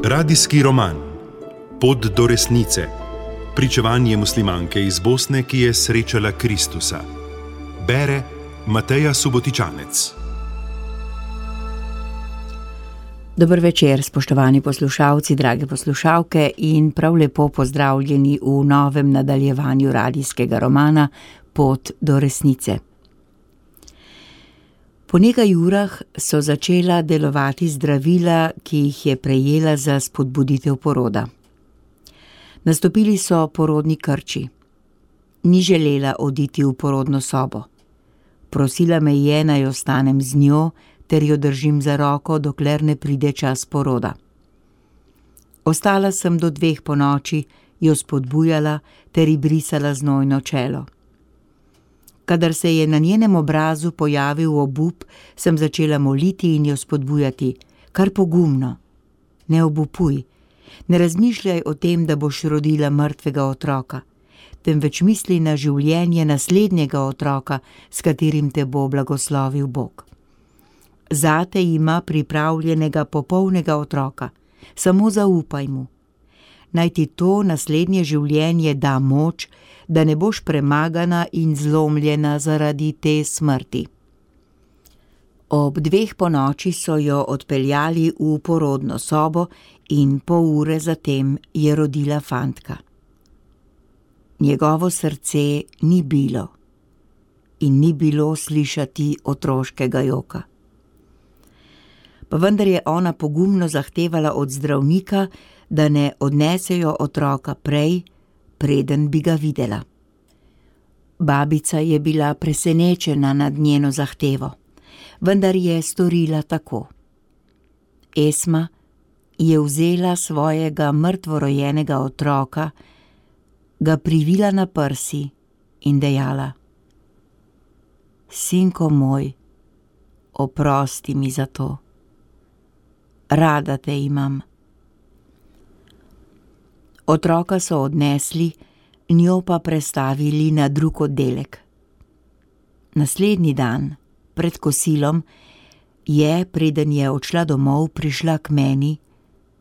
Radijski roman Pot do resnice. Pričevanje muslimanke iz Bosne, ki je srečala Kristusa. Bere Mateja Subotičanec. Dober večer, spoštovani poslušalci, drage poslušalke in prav lepo pozdravljeni v novem nadaljevanju radijskega romana Pot do resnice. Po nekaj urah so začela delovati zdravila, ki jih je prejela za spodbuditev poroda. Nastopili so porodni krči. Ni želela oditi v porodno sobo. Prosila me je, naj ostanem z njo, ter jo držim za roko, dokler ne pride čas poroda. Ostala sem do 2 ponoči, jo spodbujala ter ji brisala znojno čelo. Kadar se je na njenem obrazu pojavil obup, sem začela moliti in jo spodbujati. Kar pogumno, ne obupuj, ne razmišljaj o tem, da boš rodila mrtvega otroka, temveč misli na življenje naslednjega otroka, s katerim te bo blagoslovil Bog. Zate ima pripravljenega popolnega otroka, samo zaupaj mu. Naj ti to naslednje življenje da moč, da ne boš premagana in zlomljena zaradi te smrti. Ob 2 ponoči so jo odpeljali v porodno sobo in pol ure zatem je rodila fantka. Njegovo srce ni bilo in ni bilo slišati otroškega joka. Pa vendar je ona pogumno zahtevala od zdravnika, da ne odnesejo otroka prej, preden bi ga videla. Babica je bila presenečena nad njeno zahtevo, vendar je storila tako. Esma je vzela svojega mrtvorojenega otroka, ga privila na prsi in dejala: Sinko moj, oprosti mi za to. Rada te imam. Otroka so odnesli, njo pa prestavili na drug oddelek. Naslednji dan, pred kosilom, je, preden je odšla domov, prišla k meni,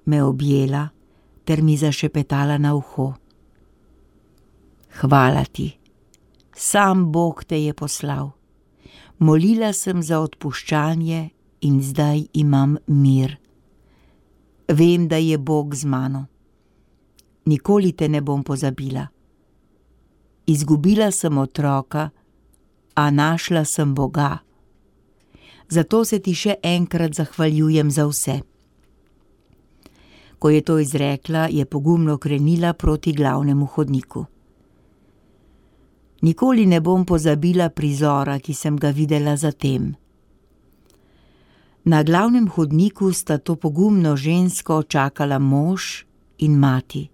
me objela ter mi zašepetala na uho. Hvala ti, sam Bog te je poslal. Molila sem za odpuščanje in zdaj imam mir. Vem, da je Bog z mano. Nikoli te ne bom pozabila. Izgubila sem otroka, a našla sem Boga. Zato se ti še enkrat zahvaljujem za vse. Ko je to izrekla, je pogumno krenila proti glavnemu hodniku. Nikoli ne bom pozabila prizora, ki sem ga videla zatem. Na glavnem hodniku sta to pogumno žensko čakala mož in mati.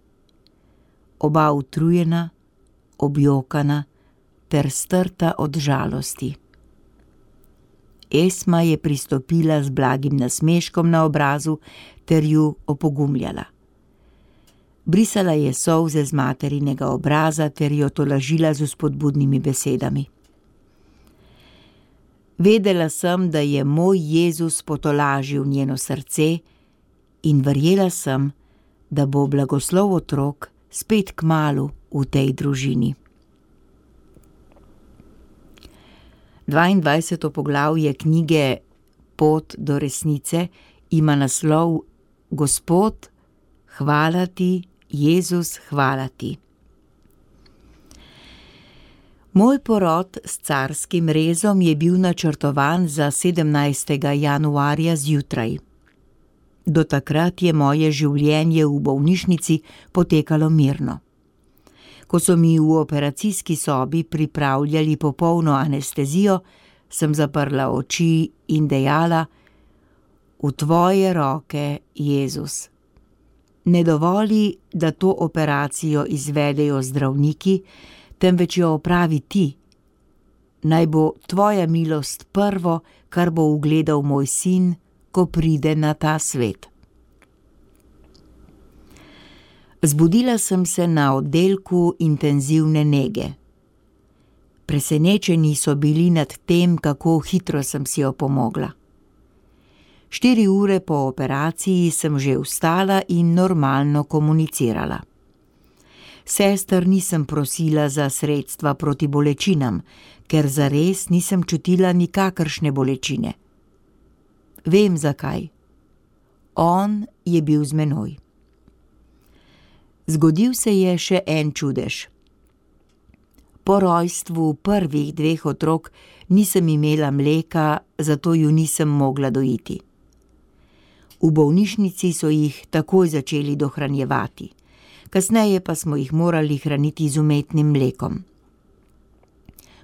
Oba utrujena, objokana ter strta od žalosti. Esma je pristopila z blagim nasmeškom na obrazu ter ju opogumljala. Brisala je solze z materinega obraza ter jo tolažila z vzpodbudnimi besedami. Vedela sem, da je moj Jezus potolažil njeno srce in verjela sem, da bo blagoslov otrok spet kmalu v tej družini. 22. poglavje knjige Pot do resnice ima naslov Gospod, hvala ti, Jezus, hvala ti. Moj porod s carskim rezom je bil načrtovan za 17. januarja zjutraj. Do takrat je moje življenje v bolnišnici potekalo mirno. Ko so mi v operacijski sobi pripravljali popolno anestezijo, sem zaprla oči in dejala: V tvoje roke, Jezus. Ne dovoli, da to operacijo izvedejo zdravniki, temveč jo opravi ti. Naj bo tvoja milost prvo, kar bo ugledal moj sin, ko pride na ta svet. Zbudila sem se na oddelku intenzivne nege. Presenečeni so bili nad tem, kako hitro sem si opomogla. 4 ure po operaciji sem že vstala in normalno komunicirala. Sester nisem prosila za sredstva proti bolečinam, ker zares nisem čutila nikakršne bolečine. Vem zakaj. On je bil z menoj. Zgodil se je še en čudež. Po rojstvu prvih 2 otrok nisem imela mleka, zato ju nisem mogla dojiti. V bolnišnici so jih takoj začeli dohranjevati, kasneje pa smo jih morali hraniti z umetnim mlekom.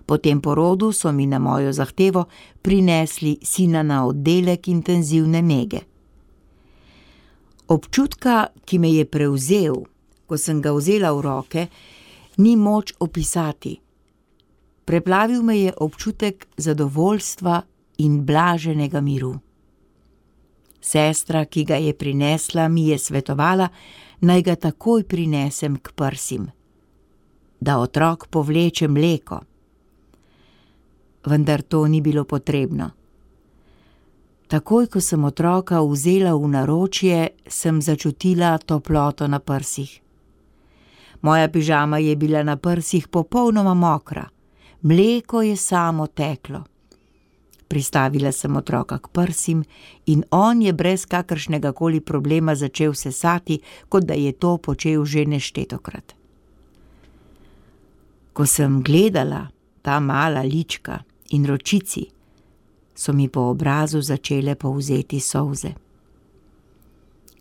Po tem porodu so mi na mojo zahtevo prinesli sina na oddelek intenzivne nege. Občutka, ki me je prevzel, ko sem ga vzela v roke, ni moč opisati. Preplavil me je občutek zadovoljstva in blaženega miru. Sestra, ki ga je prinesla, mi je svetovala, naj ga takoj prinesem k prsim, da otrok povleče mleko. Vendar to ni bilo potrebno. Takoj, ko sem otroka vzela v naročje, sem začutila toploto na prsih. Moja pižama je bila na prsih popolnoma mokra, mleko je samo teklo. Pristavila sem otroka k prsim in on je brez kakršnega koli problema začel sesati, kot da je to počel že neštetokrat. Ko sem gledala ta mala lička in ročici, so mi po obrazu začele polzeti solze.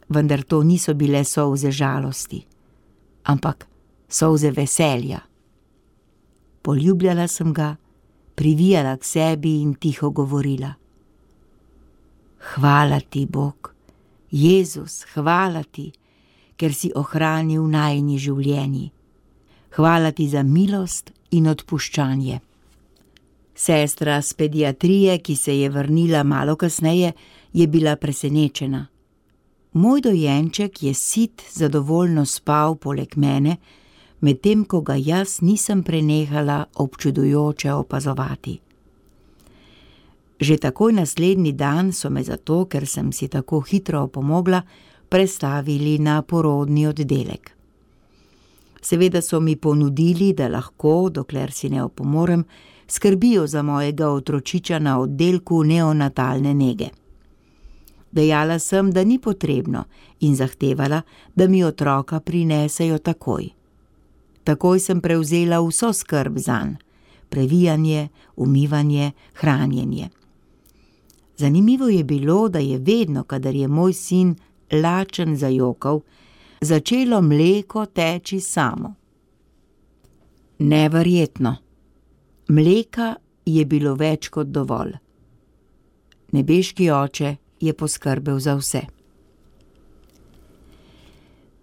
Vendar to niso bile solze žalosti, ampak solze veselja. Poljubljala sem ga, privijala k sebi in tiho govorila: Hvala ti, Bog, Jezus, hvala ti, ker si ohranil najini življenji. Hvala ti za milost in odpuščanje. Sestra s pediatrije, ki se je vrnila malo kasneje, je bila presenečena. Moj dojenček je sit zadovoljno spal poleg mene, medtem ko ga jaz nisem prenehala občudujoče opazovati. Že takoj naslednji dan so me zato, ker sem si tako hitro opomogla, prestavili na porodni oddelek. Seveda so mi ponudili, da lahko, dokler si ne opomorem, skrbijo za mojega otročiča na oddelku neonatalne nege. Dejala sem, da ni potrebno, in zahtevala, da mi otroka prinesejo takoj. Takoj sem prevzela vso skrb zanj, previjanje, umivanje, hranjenje. Zanimivo je bilo, da je vedno, kadar je moj sin lačen zajokal, začelo mleko teči samo. Neverjetno. Mleka je bilo več kot dovolj. Nebeški oče je poskrbel za vse.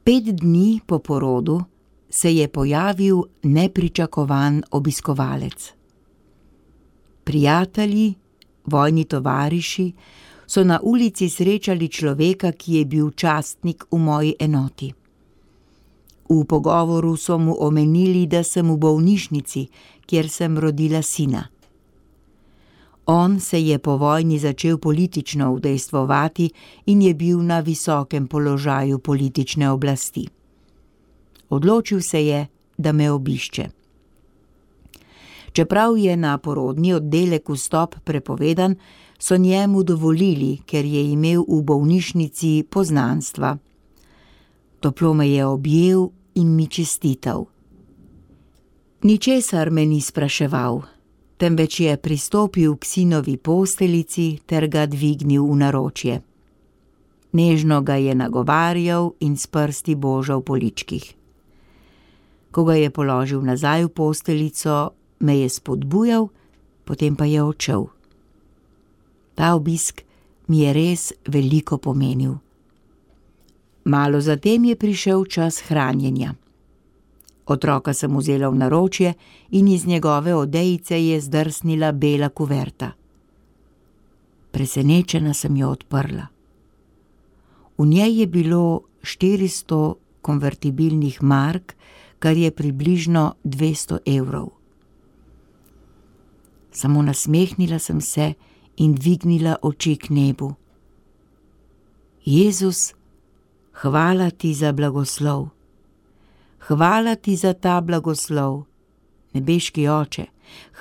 5 dni po porodu se je pojavil nepričakovan obiskovalec. Prijatelji, vojni tovariši so na ulici srečali človeka, ki je bil častnik v moji enoti. V pogovoru so mu omenili, da sem v bolnišnici, kjer sem rodila sina. On se je po vojni začel politično udejstvovati in je bil na visokem položaju politične oblasti. Odločil se je, da me obišče. Čeprav je na porodni oddelek vstop prepovedan, so njemu dovolili, ker je imel v bolnišnici poznanstva. Toplo me je objel in mi čestital. Ničesar me ni spraševal, temveč je pristopil k sinovi posteljici ter ga dvignil v naročje. Nežno ga je nagovarjal in s prsti božal po ličkih. Ko ga je položil nazaj v posteljico, me je spodbujal, potem pa je odšel. Ta obisk mi je res veliko pomenil. Malo zatem je prišel čas hranjenja. Otroka sem vzela v naročje in iz njegove odejice je zdrsnila bela kuverta. Presenečena sem jo odprla. V njej je bilo 400 konvertibilnih mark, kar je približno 200 evrov. Samo nasmehnila sem se in dvignila oči k nebu. Jezus, hvala ti za blagoslov. Hvala ti za ta blagoslov. Nebeški Oče,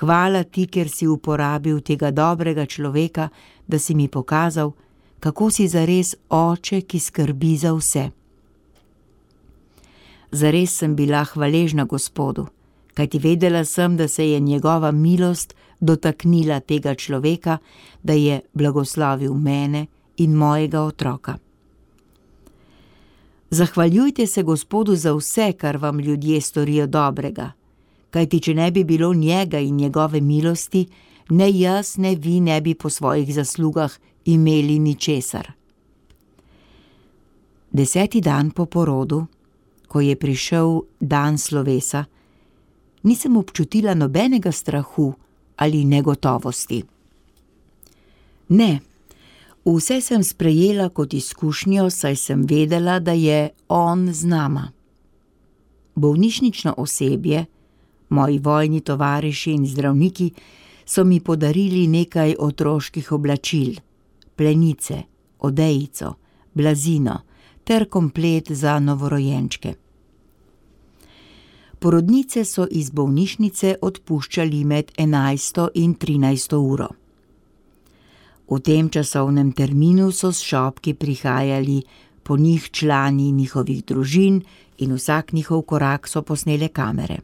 hvala ti, ker si uporabil tega dobrega človeka, da si mi pokazal, kako si zares Oče, ki skrbi za vse. Zares sem bila hvaležna Gospodu, kajti vedela sem, da se je njegova milost dotaknila tega človeka, da je blagoslovil mene in mojega otroka. Zahvaljujte se Gospodu za vse, kar vam ljudje storijo dobrega, kajti če ne bi bilo njega in njegove milosti, ne jaz, ne vi ne bi po svojih zaslugah imeli ničesar. 10. dan po porodu, ko je prišel dan slovesa, nisem občutila nobenega strahu ali negotovosti. Ne, vse sem sprejela kot izkušnjo, saj sem vedela, da je on z nama. Bolnišnično osebje, moji vojni tovariši in zdravniki so mi podarili nekaj otroških oblačil, plenice, odejico, blazino ter komplet za novorojenčke. Porodnice so iz bolnišnice odpuščali med 11. in 13. uro. V tem časovnem terminu so s šopki prihajali po njih člani njihovih družin in vsak njihov korak so posnele kamere.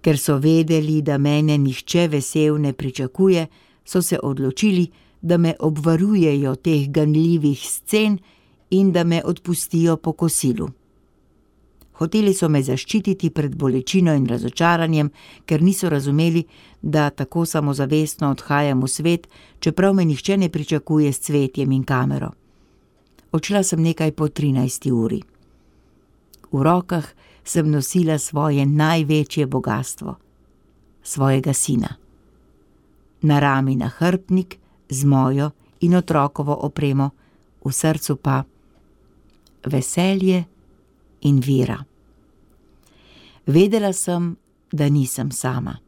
Ker so vedeli, da mene nihče vesel ne pričakuje, so se odločili, da me obvarujejo teh ganljivih scen in da me odpustijo po kosilu. Hoteli so me zaščititi pred bolečino in razočaranjem, ker niso razumeli, da tako samozavestno odhajam v svet, čeprav me nihče ne pričakuje s cvetjem in kamero. Odšla sem nekaj po 13. uri. V rokah sem nosila svoje največje bogastvo, svojega sina. Na rami nahrbtnik z mojo in otrokovo opremo, v srcu pa veselje in vera. Vedela sem, da nisem sama.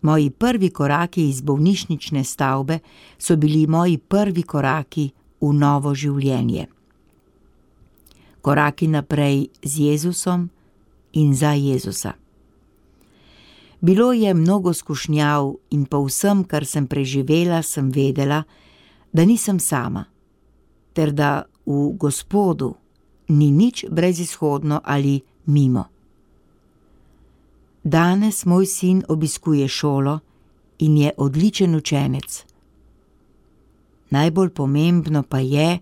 Moji prvi koraki iz bolnišnične stavbe so bili moji prvi koraki v novo življenje. Koraki naprej z Jezusom in za Jezusa. Bilo je mnogo skušnjav in po vsem, kar sem preživela, sem vedela, da nisem sama, ter da v Gospodu ni nič brezizhodno ali mimo. Danes moj sin obiskuje šolo in je odličen učenec. Najbolj pomembno pa je,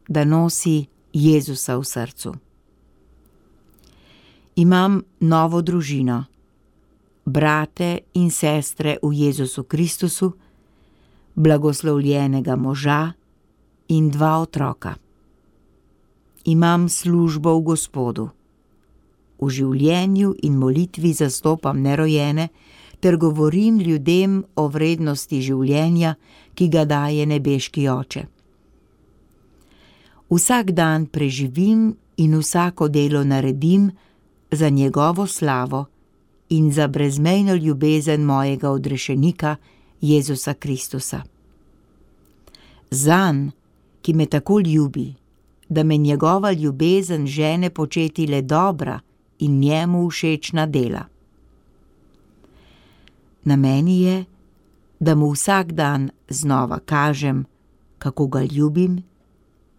da nosi Jezusa v srcu. Imam novo družino, brate in sestre v Jezusu Kristusu, blagoslovljenega moža in 2 otroka. Imam službo v Gospodu. V življenju in molitvi zastopam nerojene ter govorim ljudem o vrednosti življenja, ki ga daje nebeški Oče. Vsak dan preživim in vsako delo naredim za njegovo slavo in za brezmejno ljubezen mojega odrešenika Jezusa Kristusa. Zanj, ki me tako ljubi, da me njegova ljubezen žene početi le dobra in njemu všečna dela. Na meni je, da mu vsak dan znova kažem, kako ga ljubim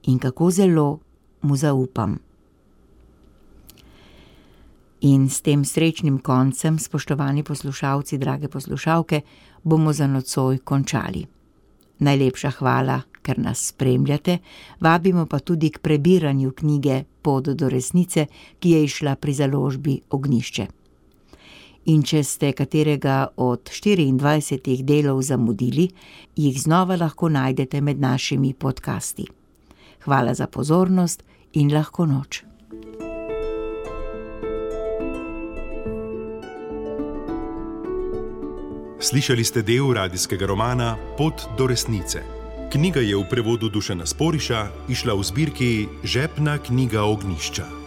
in kako zelo mu zaupam. In s tem srečnim koncem, spoštovani poslušalci, drage poslušalke, bomo za nocoj končali. Najlepša hvala, ker nas spremljate, vabimo pa tudi k prebiranju knjige Pot do resnice, ki je izšla pri založbi Ognjišče. In če ste katerega od 24 delov zamudili, jih znova lahko najdete med našimi podcasti. Hvala za pozornost in lahko noč. Slišali ste del radijskega romana Pot do resnice. Knjiga je v prevodu Dušana Sporiša izšla v zbirki Žepna knjiga Ognjišča.